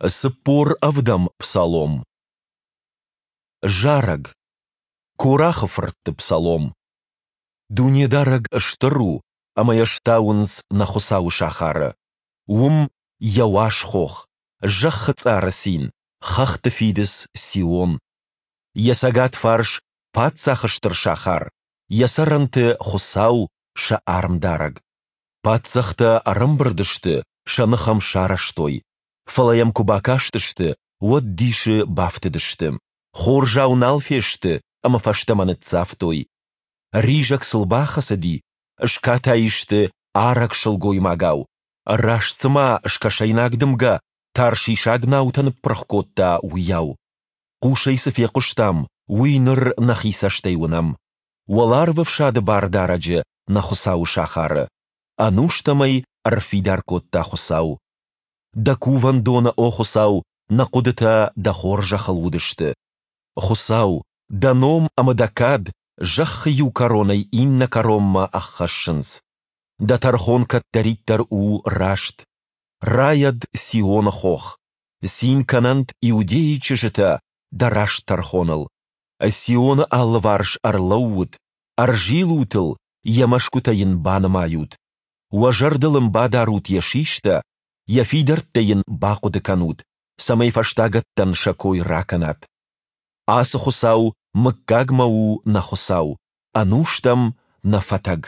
47-ӕм псалом. Зарӕг. Корахы фыртты псалом. Дунедарӕг стыр у, ӕмӕ йӕ стауынц нӕ Хуыцауы сахары. Уым Йӕ уаз хох, зӕххы цъары цин, хӕхты фидыц Сион. Йӕ цӕгат фарс паддзахы стыр сахар, йӕ цӕрӕнты Хуыцау, сӕ армдарӕг. Паддзӕхтӕ ӕрӕмбырд сты, сӕ ных ӕм сарӕзтой. Фӕлӕ йӕм куы бакастысты, уӕд дисы бафтыдысты. Хорзау нал фесты ӕмӕ фӕстӕмӕ ныццавтой. Ризӕг сыл бахӕцыди, скатай сты арӕг сылгоймагау, раст цыма скӕсӕйнаг дымгӕ таршишаг наутӕ ныппырх кодта, уыйау. Хъусӕй цы фехъуыстам, уый ныр нӕхи цӕстӕй уынӕм. Уӕларвӕфсады Бардарӕджы нӕ Хуыцауы сахары. Ӕнустӕм ӕй ӕрфидар кодта Хуыцау. Дӕ кувӕндоны, о Хуыцау, нӕ хъуыдытӕ дӕ хорзӕхыл уыдысты. Хуыцау, дӕ ном ӕмӕ дӕ кад зӕххы иу кӕронӕй иннӕ кӕронмӕ ӕххӕссынц. Дӕ тӕрхон кӕддӕриддӕр у раст. Райӕд Сионы хох, цин кӕнӕнт Иудейы чызджытӕ дӕ раст тӕрхоныл. Сионы алыварс ӕрлӕуут, ӕрзилут ыл, йӕ мӕсгуытӕ йын банымайут. Уӕ зӕрдыл ын бадарут йӕ систӕ, йӕ фидӕрттӕ йын бахъуыды кӕнут, цӕмӕй фӕстагӕттӕн сӕ кой ракӕнат. Ацы Хуыцау мыггагмӕ у нӕ Хуыцау, ӕнустӕм нӕ фӕтӕг.